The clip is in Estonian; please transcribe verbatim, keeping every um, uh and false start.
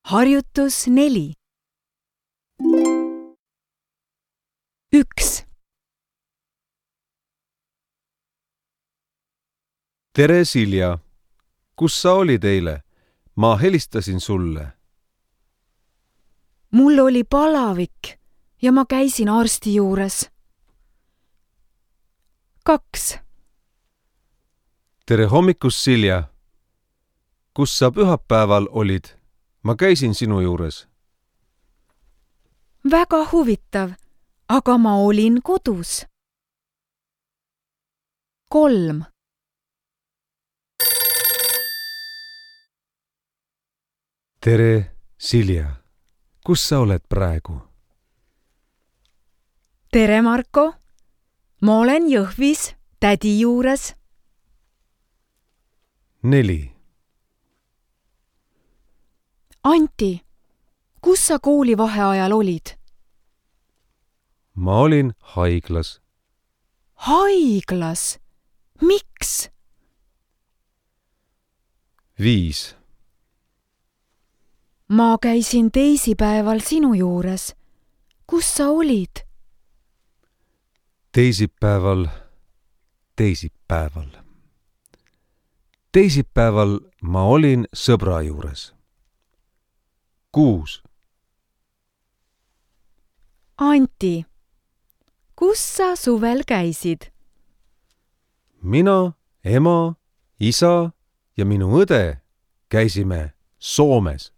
Harjutus neli. Üks. Tere, Silja! Kus sa olid eile? Ma helistasin sulle. Mul oli palavik ja ma käisin arsti juures. Kaks. Tere hommikust, Silja! Kus sa pühapäeval olid? Ma käisin sinu juures. Väga huvitav, aga ma olin kodus. Kolm. Tere, Silja! Kus sa oled praegu? Tere, Marko! Ma olen Jõhvis tädi juures. Neli. Anti, kus sa koolivaheajal olid? Ma olin haiglas. Haiglas? Miks? Viis. Ma käisin teisipäeval sinu juures. Kus sa olid? Teisipäeval, teisipäeval. Teisipäeval ma olin sõbra juures. Kuus. Anti, kus sa suvel käisid? Mina, ema, isa ja minu õde käisime Soomes.